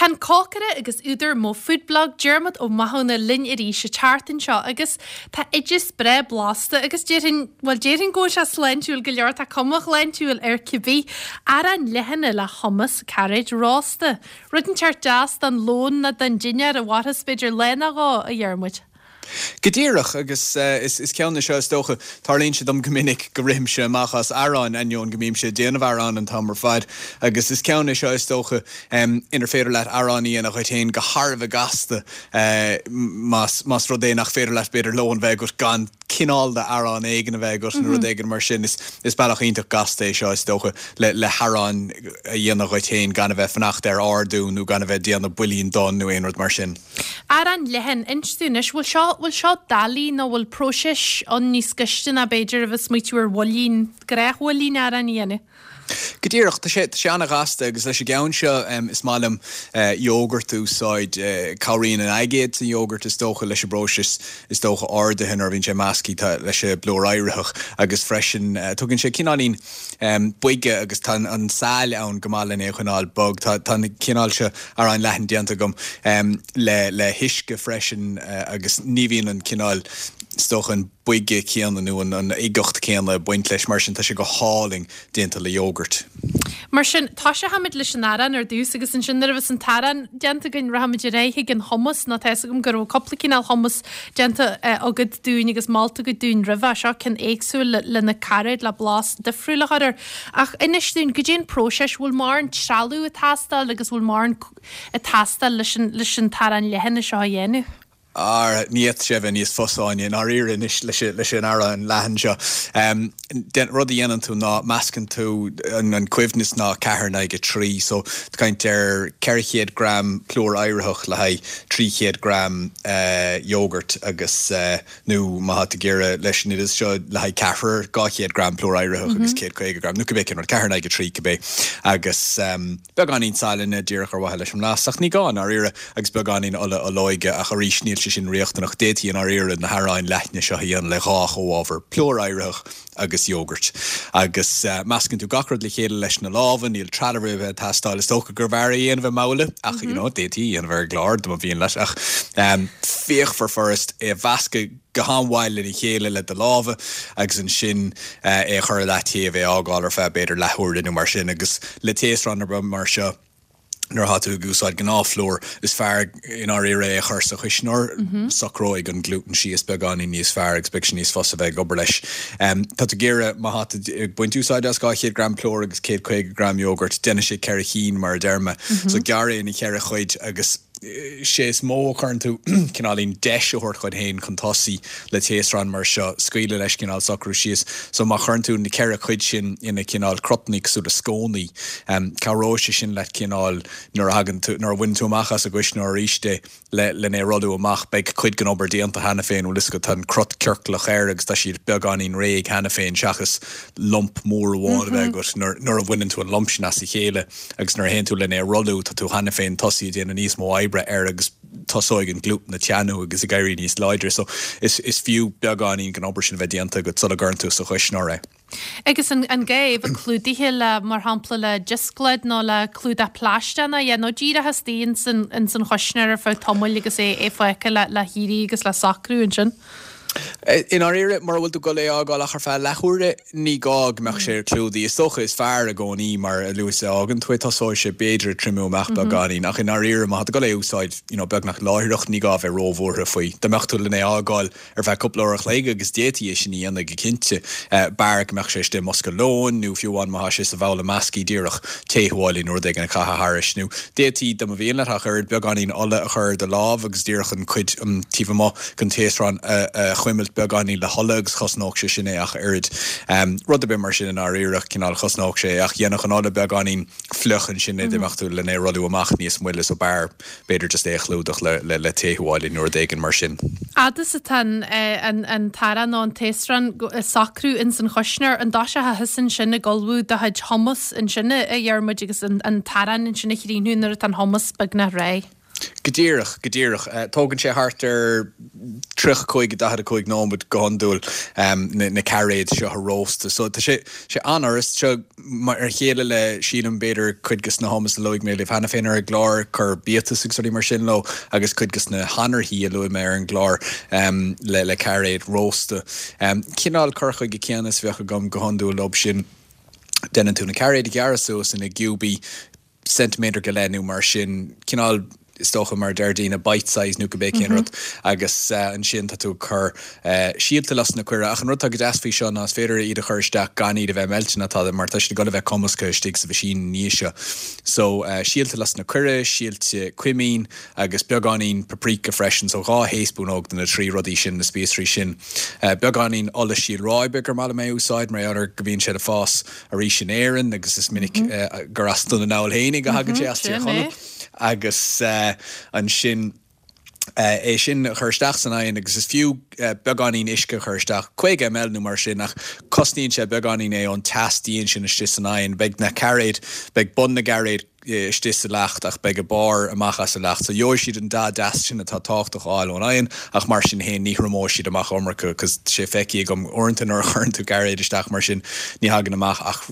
Tá an cócaire agus údar Mo Food Blog, Diarmuid Ó Mathúna linn arís an tseachtain seo agus tá oideas breá blasta agus déarfainn, bhuel déarfainn go bhfuil sé sláintiúil go leor, tá cuma shláintiúil air cibé. Arán leathan le hummus cairéid rósta. Rud inteacht deas don lón nó don dinnéar a mhairfeas b'fhéidir lá nó dhó, a Dhiarmuid. Go díreach, agus is ceann é seo is dócha, tarlaíonn sé dom go minic go rithimse amach as arán, ainneoin go mbímse ag déanamh arán an t-am ar fad, agus is ceann é seo is dócha inar féidir leat arán a dhéanamh dhuit féin go thar a bheith gasta más rud é nach féidir leat b'fhéidir lón a bheith agat gan cineál d'arán éigin a bheith agat nó rud éigin mar sin. Is bealach iontach gasta é seo is dócha le harán a dhéanamh dhuit féin gan a bheith fanacht ar ordú nó gan a bheith ag déanamh builín donn nó aon rud mar sin. Arán leathan, inis dúinn anois, bhfuil seo, bhfuil seo doiligh nó bhfuil próiseas ann níos gaiste ná b'fhéidir a bheith ag smaoitiú ar bhuilín, gnáthbhuilín aráin a dhéanamh? Go díreach, tá sé, tá sé an-ghasta agus leis an gceann seo is maith liom iógart a úsáid. Cabhraíonn an aigéad san iógart is dócha leis an bpróiseas is dócha ardaithe nuair a bhíonn sé measctha leis an bplúr éiritheach agus freisin tugann sé cineáilín boige agus tá an saill ann go maith lena é a choinneáil bog. Tá an cineál seo aráin leathain déanta agam le le huisce freisin agus ní bhíonn an cineál, is dócha, an boige céanna nó an uigeacht céanna ag baint leis, mar sin tá sé go hálainn déanta le iógart. Mar sin, toiseochaimid leis an arán ar dtús agus ansin nuair a bheas an t-arán déanta againn rachaimid ar aghaidh chuig an hummus nó tá fhios agam go raibh cúpla cineál hummus déanta agat dúinn agus molta agat dúinn roimhe seo, ceann éagsúil le le na cairéid le blas difriúil a chur air. Ach inis dúinn, goidé an próiseas, bhfuil mórán trealamh ag teastáil agus bhfuil mórán ag teastáil leis an leis an t-arán leathan seo a dhéanamh? Ara, ní fhéadfadh sé a bheith níos fusa, Áine, i ndáiríre anois leis leis an arán leathan seo. Den, rud a dhéanann tú ná meascann tú an coibhneas ná 4 in aghaidh 3, so tá caint ar 400 gram plúr éiritheach le haghaidh 300 gram iógart agus, nó má tá tú ag iarraidh leis an oideas seo le haghaidh ceathrar, 200 gram plúr éiritheach agus 150 gram, nó cibé cén rud, 4 in aghaidh 3 cibé, agus beagáinín sailinne díreach ar mhaithe leis an mblas, ach ní gá i ndáiríre, agus beagáinín ola olóige, ach arís níl sé sin riachtanach, d'fhéadfaí i ndáiríre na haráin leathna seo a dhéanamh le dhá chomhábhar, plúr éiritheach agus iógart. Agus meascann tú gach rud le chéile leis na lámha, níl trealamh ar bith ag teastáil. Is dócha gurbh fhearr é a dhéanamh i mbabhla, ach you know, d'fhéadfaí é a dhéanamh ar an gclár dá mba mhian leat, ach fíochmhar furast é a mheascadh go han-mhaith lena chéile le do lámha agus ansin é a chur i leataobh, é a fhágáil ar feadh b'fhéidir leathuaire nó mar sin agus le taosrán ar bith mar seo, Nuair atá tú ag úsáid gnáthphlúr, is fearr i ndáiríre é a chur sa chuisneoir. Socróidh an glútan síos beagáinín níos fearr agus beidh sé níos fusa bheith ag obair leis. Tá tú ag iarraidh, má tá tú ag baint úsáide as 200 gram plúir agus 150 gram iógart, déanfaidh sé ceithre chinn mar a deir mé. So gearr é ina cheithre chuid agus. sé is mó a chuireann tú cineáilín deis a thabhairt dhuit féin chun tosaí le taosrán mar seo, scaoileadh leis cineál socrú síos. So má chuireann tú na ceithre chuid sin ina cineál crutanna cosúil le scónaí, cabhróidh sé sin leat cineál nuair a thagann tú, nuair a bhaineann tú amach as an gcuisneoir arís é le len é a rolladh amach, beidh cuid den obair déanta cheana féin, bhfuil fhios agat, tá an crut ciorclach air agus tá siad beagáinín réidh cheana féin seachas lump mór amháin a bheith agat nuair a bhaineann tú an lump sin as a chéile. Agus nuair a théann tú len é a rolladh, tá tú cheana féin tosaithe ag déanamh níos mó oibre air agus tosóidh an glútan ag teannadh agus ag éirí níos láidre. So is is fiú beagáinín den obair sin a bheith déanta agat sula gcuireann tú sa chuisneoir é. Agus an an gá é a bheith clúdaithe le, mar shampla, le dioscláid nó le clúdach plaisteach nó yeah, nó díreach istigh ins an ins an chuisneoir ar feadh tamaill agus é é fágtha le le héirí agus le socrú ansin? I ndáiríre, mura bhfuil tú ag dul é a fhágáil ach ar feadh leathuaire, ní gá go mbeadh sé clúdaithe. Is dócha is fearr i gcónaí, mar a luaithe is a fhágann tú é, tosóidh sé b'fhéidir ag triomú amach beagáinín, ach i ndáiríre, má tá tú ag dul é a úsáid you know beagnach láithreach, ní gá a bheith róbhuartha faoi. Dá mbeadh tú len é a fhágáil ar feadh cúpla uair a chloig, agus d'fhéadfaí é sin a dhéanamh go cinnte, b'fhearr go mbeadh sé istigh i mbosca lóin nó fiú amháin má tá sé sa bhabhla measctha díreach tae-thuáille nó rud éigin a chaitheamh thairis. Nó d'fhéadfaí, dá mba mhian leat ach oiread, beagáinín ola a chur ar do lámh agus díreach an chuid taobh amuigh den taosrán a chuimilt beagáinín le hola agus chosnódh sé sin é ach oiread. Rud ar bith mar sin i ndáiríre, cineál chosnódh sé é ach dhéanfadh an ola beagáinín fliuch ansin é dá mbeadh tú len é a rolladh amach níos moille so b'fhearr b'fhéidir just é a chlúdach le le tae-thuáille nó rud éigin mar sin. Fhad is atá an t-arán nó an taosrán ag socrú ins an chuisneoir, an dtoiseochthá thusa ansin ag ullmhú do chuid hummus ansin a Dhiarmuid agus an t-arán ansin a chríochnú nuair atá an hummus beagnach réidh? Go díreach, go díreach. Tógann sé thart ar 35, 45 nóiméad go hiondúil na cairéid seo a róstadh. So tá sé sé an-fhurast. Seo mar a chéile le, sílim, b'fhéidir cuid de na hummus a luaigh mé libh cheana féin ar an gclár, cuir biatas agus rudaí mar sin leo agus cuid de na hanarthaí a luaigh mé ar an gclár le le cairéid rósta. Cineál cur chuige céanna is a bheadh agam go hiondúil leo sin. Déanann tú na cairéid a ghearradh suas ina gciúbaí. ceintiméadar go leith nó mar sin, cineál, is dócha, mar a deir daoine, bite size nó cibé cén rud, agus ansin tá tú ag cur síolta lus na coire. Ach an rud atá go deas faoi seo ná is féidir iad a chur isteach gan iad a bheith meilte ná tada mar tá siad ag dul a bheith cumasctha istigh sa mheaisín ina dhiaidh seo. So, síolta lus na coire, síolta cuimín agus beagáinín paprika freisin, so 2 thaespúnóg de na trí rudaí sin, na spíosraí sin. Beagáinín ola síol ráibe gur maith liom é a úsáid mar gheall ar go mbíonn sé le fás arís in Éirinn agus is minic gur as Dún na nGall fhéinig a thagann sé as Tír Chonaill agus ansin é sin a chur isteach san oigheann agus is fiú beagáinín uisce a chur isteach, 50 ml nó mar sin, ach cosnaíonn sé beagáinín é ón teas dian sin istigh san oigheann. Beidh na cairéid, beidh bun na gcairéad istigh sa leacht ach beidh a barr amach as an leacht. So gheobhaidh siad an dath deas sin atá tábhachtach a fháil ón oigheann ach mar sin féin ní thriomóidh siad amach iomarca cos tá sé feicthe agam uaireanta nuair a chuireann tú cairéid isteach mar sin ní thagann amach ach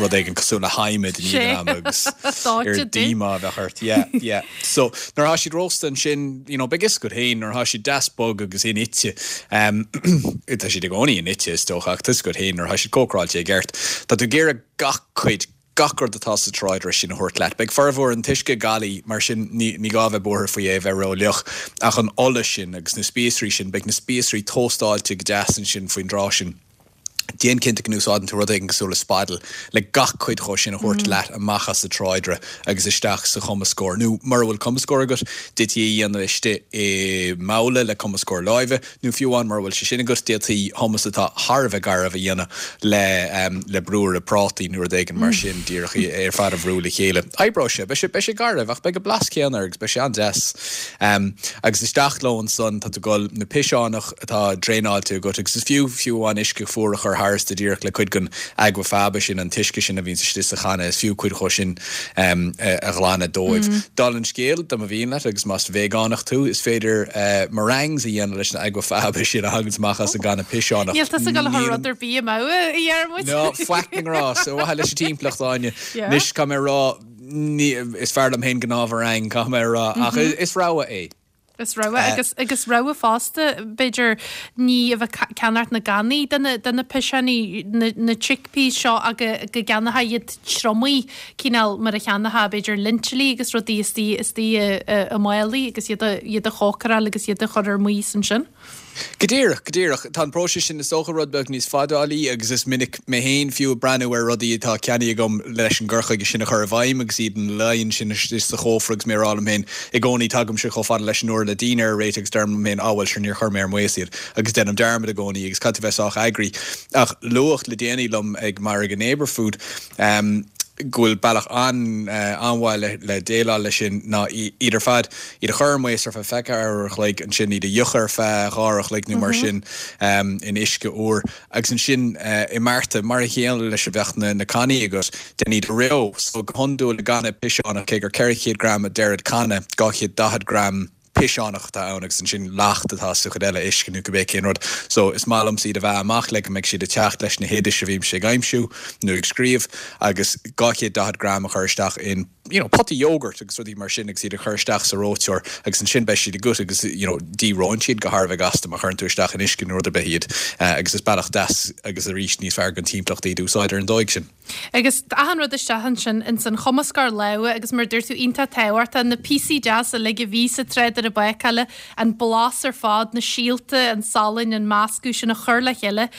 rud éigin cosúil le hadhmad i ndiaidh an ama agus oiread díomá a bheadh ort. Yeah, yeah. So nuair atá siad rósta ansin, you know, beidh fhios agat féin nuair atá siad deas bog agus inite, um, tá siad i gcónaí inite is dócha ach tá fhios agat féin nuair atá siad cócaráilte i gceart, tá tú ag iarraidh gach cuid gach rud atá sa tráidire sin a thabhairt leat. Beidh formhór an t-uisce galí, mar sin ní gá a bheith buartha faoi é a bheith ró-fhliuch, ach an ola sin agus na spíosraí sin, beidh na spíosraí tóstáilte go deas ansin faoin dtráth sin. Déan cinnte go n-úsáideann tú rud éigin cosúil le spaidil le gach cuid dhó sin a thabhairt leat amach as an tráidire agus isteach sa chumascóir. Nó mura bhfuil cumascóir agat, d'fhéadfaí é a dhéanamh istigh i mbabhla le cumascóir láimhe. Nó fiú amháin mura bhfuil sé sin agat, d'fhéadfaí hummus atá thar a bheith garbh a dhéanamh le le brúire prátaí nó rud éigin mar sin, díreach é ar fad a bhrú le chéile. Oibreoidh sé. Beidh sé beidh sé garbh ach beidh an blas céanna air agus beidh sé an-deas. Agus isteach leo ansan tá tú ag dul na piseánach atá draenáilte agat agus is fiú fiú amháin uisce fuar a chur tharstu díreach le cuid den aquafaba sin, an t-uisce sin a bhíonns istigh sa channa, is fiú cuid dhó sin a ghlanadh dóibh. Dála an scéil, dá mba mhian leat, agus más veigeánach tú, is féidir meringues a dhéanamh leis an aquafaba sin a thaganns amach as an gcanna piseánach. Níl tusa ag dul a chur rud ar bith amú, a Dhiarmuid. Ná faic na ngrás, ar mhaithe leis an timpeallacht, Áine. Anois, caithfidh mé a rá, is fearr liom féin gnáth-mheringue, caithfidh mé a rá, ach is rogha é. Is rogha agus agus rogha fosta b'fhéidir ní a bheith ag ceannacht na gcannaí de na de na piseánaí na na chickpeas seo ach go go gceannófá iad triomaithe cineál mar a cheannófá b'fhéidir lintilí agus rudaí istigh istigh i i i málaí agus iad a iad a chócaráil agus iad a chur ar maos ansin. Go díreach, go díreach. Tá an próiseas sin is dócha rud beag níos fadálaí agus is minic mé féin fiú ag breathnú ar rudaí atá ceannaithe agam leis an gcur chuige sin a chur i bhfeidhm agus iad ina luí ansin istigh sa chófra agus mé ag rá liom féin i gcónaí tagaimse chomh fada leis an uair le dinnéar a réiteach agus deirim liom féin á bhuel sure níor chuir mé ar maos iad agus déanaim dearmad i gcónaí agus caithfidh tú bheith sách eagraí. Ach luadh le déanaí liom ag margadh Neighbourfood, go bhfuil bealach an-mhaith le déileáil leis sin ná iad ar fad, iad a chur ar maos ar feadh 24 uair a chloig, ansin iad a fhiuchadh ar feadh 2 uair a chloig nó mar sin in uisce úr agus ansin i mbearta mar a chéile leis a bheadh na cannaí agat, déan iad a reo. So go hiondúil i gcanna piseánach, cé gur 400 gram a deirid canna, 240 gram. piseánach atá ann agus ansin leacht atá sa chuid eile, uisce nó cibé cén rud. So is maith liomsa iad a mheá amach le go mbeidh siad ag teacht leis na hoidis a bhímse ag aimsiú nó ag scríobh agus 240 gram a chur isteach in you know pota yogurt agus rudaí mar sin agus iad a chur isteach sa reoiteoir agus ansin beidh siad agat agus you know dí-reonn siad go thar a bheith gasta má chuireann tú isteach in uisce nó rud ar bith iad agus is bealach deas agus arís níos fearr don timpeallacht iad a úsáid ar an dóigh sin. Agus achan rud isteach ansin ins an chumascóir láimhe agus mar a dúirt tú iontach tábhachtach, na píosaí deasa uilig a bhí sa tráidire bácála, an blas ar fad, na síolta, an salann, an meascadh sin a chur le chéile.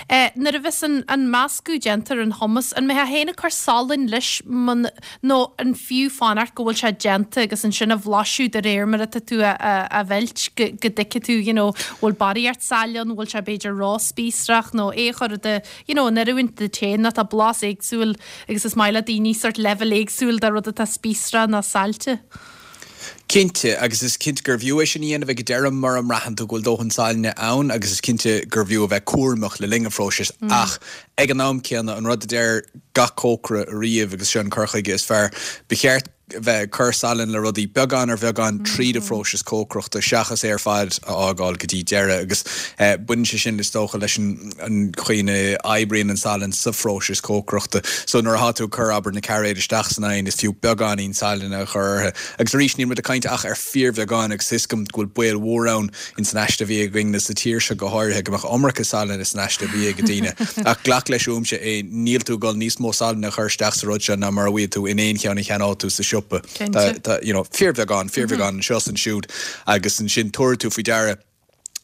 Nuair a bheas an an meascadh déanta ar an hummus, an mbeifeá féin ag cur salainn leis nó an fiú fanacht go bhfuil sé déanta agus ansin a bhlaiseadh de réir mar atá tú á mheilt go go dtuigfidh tú you know bhfuil barraíocht saille ann, bhfuil sé b'fhéidir ró-spíosrach nó é a chur i do you know, in oiriúint duit féin nó tá blas éagsúil agus is maith le daoine sort leibhéal éagsúil de rud atá spíosrach nó saillte. Cinnte, agus is cinnte gurbh fhiú é sin a dhéanamh ag an deireadh mura mbraitheann tú go bhfuil dóthain sailinne ann agus is cinnte gurbh fhiú a bheith cúramach le linn an phróisis ach ag an am céanna an rud a deir gach cócaire riamh agus seo an cur chuige is fearr, ba cheart. bheith ag cur salainn le rudaí beagán ar bheagán tríd an phróiseas cócaireachta seachas é ar fad a fhágáil go dtí deireadh agus baineann sé sin is dócha leis an chaoi ina oibríonn an salann sa phróiseas cócaireachta. So nuair atá tú ag cur abair na cairéid isteach san oigheann is fiú beagáinín salainn a chur orthu agus arís níl muid ag caint ach ar fíorbheagán agus tá 'fhios agam go bhfuil baol mhór ann ins an aiste bhia againn sa tír seo go háirithe, go mbeadh iomarca salainn ins an aiste bhia ag daoine. Ach glac leis uaimse é, níl tú ag dul níos mó salainn a chur isteach sa rud seo ná mar a bhfaighidh tú in aon cheann a cheannóidh tú sa siopa. Tá, you know, fíorbheagán, fíorbheagán anseo is ansiúd agus ansin tabharfaidh tú faoi deara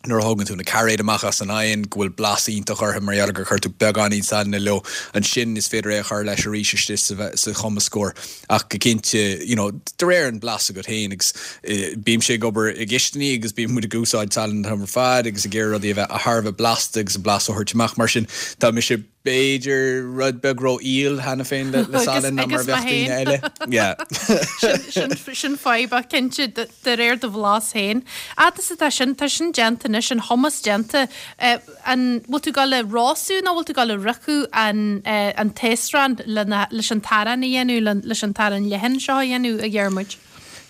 nuair a thógann tú na cairéid amach as an oigheann go bhfuil blas iontach orthu mar gheall gur chuir tú beagáinín salainne leo. Ansin is féidir é a chur leis arís istigh sa chumascóir. Ach go cinnte, you know, de réir an blas agat féin agus bímse ag obair i gcistiní agus bíonn muid ag úsáid salann an t-am ar fad agus ag iarraidh rudaí a bheith thar a bheith blasta agus an blas a thabhairt amach. Mar sin, tá mise b'fhéidir rud beag ró-fhial cheana féin le salann ná mar a bheadh daoine eile. Yeah. Sin, sin fadhb ach cinnte de réir do bhlas féin. Fhad is atá sin, tá sin déanta anois, an hummus déanta. An bhfuil tú ag dul a rosadh nó bhfuil tú ag dul a fhriochadh an an taosrán lena leis an t-arán a dhéanamh, leis an t-arán leathan seo a dhéanamh, a Dhiarmuid?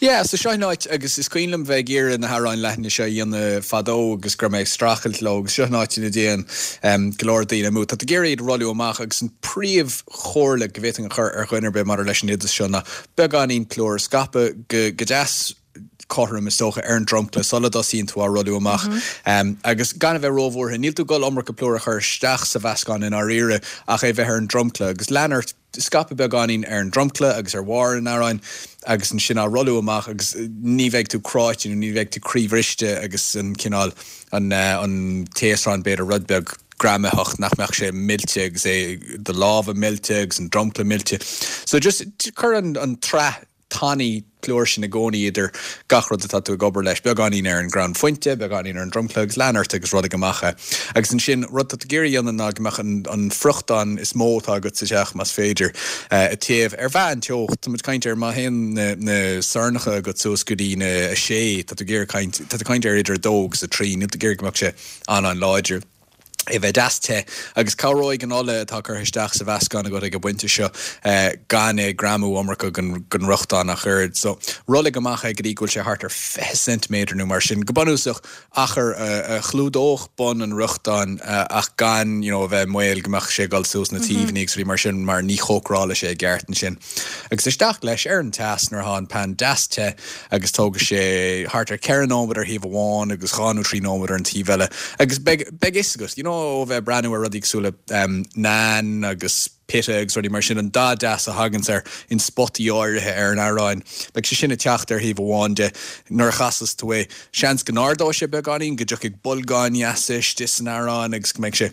Yeah, so seo an áit agus is cuimhin liom bheith ag iarraidh na haráin leathana seo a dhéanamh fadó agus go raibh mé ag streachailt leo agus seo an áit ina dtéann go leor daoine amú. Tá tú ag iarraidh iad a rolladh amach agus an príomh chomhairle go bhféadfainn a chur ar dhuine ar bith maidir leis an oideas seo ná beagáinín plúir a scaipeadh go go deas cothrom, is dócha, ar an dromchla sula dtosaíonn tú á rolladh amach. Agus gan a bheith róbhuartha, níl tú ag dul iomarca plúir a chur isteach sa mheascán i ndáiríre ach é bheith ar an dromchla. Agus lean ort, scaipeadh beagáinín ar an dromchla agus ar bharr an aráin agus ansin á rolladh amach agus ní bheidh tú cráite nó ní bheidh tú croíbhriste agus an cineál, an an taosrán b'fhéidir rud beag greamaitheach nach mbeadh sé millte agus é do lámha millte agus an dromchla millte. So just cuir an an tsraith tanaí plúir sin i gcónaí idir gach rud atá tú ag obair leis, beagáinín ar an gcrann fuinte, beagáinín ar an dromchla agus lean ort agus rollaigh amach é. Agus ansin, rud atá tú ag iarraidh a dhéanamh ná go mbeadh an an friochtán is mó atá agat sa teach, más féidir, ag téamh ar mheánteocht. Tá muid ag caint ar má théann na na sornacha agat suas go dtí na 6, tá tú ag iarraidh caint, tá tú ag caint ar idir 2 agus 3, níl tú ag iarraidh go mbeadh sé an-an-láidir. é bheith deas te, agus cabhróidh an ola atá curtha isteach sa mheascán agat ag an bpointe seo gan é greamú iomarca den fhriochtán ach oiread. So, rollaigh amach é go dtí go bhfuil sé thart ar 20 ceintiméadar nó mar sin, go bunúsach, achar a chlúdódh bun an fhriochtáin ach gan, you know, a bheith i mbaol go mbeadh sé ag dul suas na taobhanna agus rudaí mar sin mar ní chócarálfaidh sé i gceart ansin. Agus isteach leis ar an teas nuair atá an pan deas te agus tógfaidh sé thart ar 4 nóiméad ar thaobh amháin agus 2 nó 3 nóiméad ar an taobh eile agus beidh, beidh fhios agat, you know, ó bheith ag breathnú ar rudaí cosúil le naan agus pita agus rudaí mar sin, an dath deas a thaganns air in spotaí áirithe ar an arán, beidh sé sin ag teacht ar thaobh amháin de. Nuair a chasas tú é, seans go n-ardóidh sé beagáinín, go dtiocfaidh bolgáin dheasa istigh san arán agus go mbeidh sé.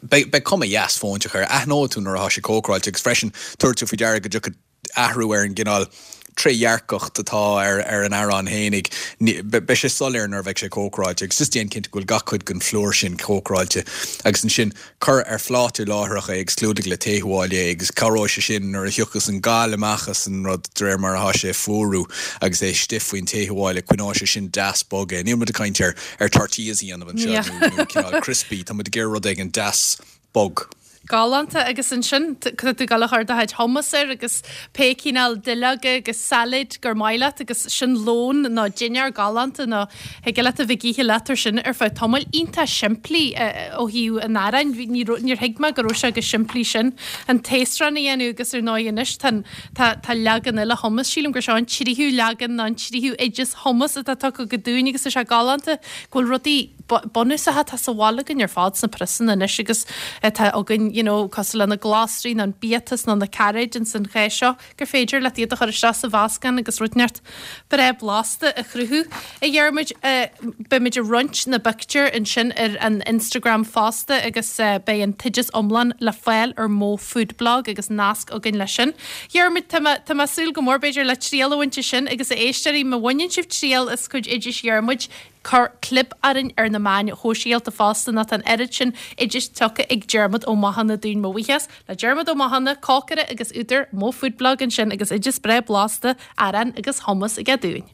Beidh cuma dheas fóinteach air. Aithneoidh tú nuair atá sé cócaráilte agus freisin tabharfaidh tú faoi deara go dtiocfaidh athrú ar an gcineál trédhearcacht atá ar ar an arán fhéinig. Beidh sé soiléir nuair a bheidh sé cócaráilte agus just déan cinnte go bhfuil gach cuid den phlúr sin cócaráilte agus ansin cuir ar phláta láithreach é agus clúdaigh le tae fuáil é agus cabhróidh sé sin nuair a thiocfas an gal amach as an rud de réir mar atá sé ag fuarú agus é istigh faoin tae fuáil coinneoidh sé sin deas bog é. Níl muid ag caint ar ar tortillas a dhéanamh anseo nó cineál crispy, tá muid ag iarraidh rud éigin deas bog. Galánta agus ansin tá tú ag dul a chur do chuid hummus air agus pé cineál duilleoga agus sailéid gur maith leat agus sin lón nó dinnéar galánta nó thig leat a bheith ag ithe leat ar sin ar feadh tamaill. Iontach simplí ó thaobh an aráin, níor thuig mé go raibh sé chomh simplí sin an taosrán a dhéanamh agus ar ndóigh anois tá an Tá, tá leagan eile hummus, sílim gur seo an tríú leagan nó an tríú oideas hummus atá tugtha agat dúinn agus tá sé galánta go bhfuil rudaí bunúsacha atá sa bhaile againn ar fad sna priosanna anois agus atá againn, you know, cosúil le na glasraí nó an biatas nó na cairéid ins an chás seo, gur féidir leat iad a chur isteach sa mheascán agus rud inteacht breá blasta a chruthú. A Dhiarmuid, beimid ag roinnt na bpictiúr ansin ar an Instagram fosta agus beidh an t-oideas iomlán le fáil ar Mo Food Blog agus nasc againn leis sin. Dhiarmuid, tá mé, tá mé ag súil go mór b'fhéidir le triail a bhaint as sin agus a éisteoirí, má bhaineann sibh triail as cuid oidis Dhiarmuid, cuir clib orainn ar na meáin shóisialta fosta nó tá an oiread sin oidis tugtha ag Diarmuid Ó Mathúna dúinn. Mo bhuíochas le Diarmuid Ó Mathúna, cócaire agus údar Mo Food Blog ansin agus oideas breá blasta, arán agus hummus aige dúinn.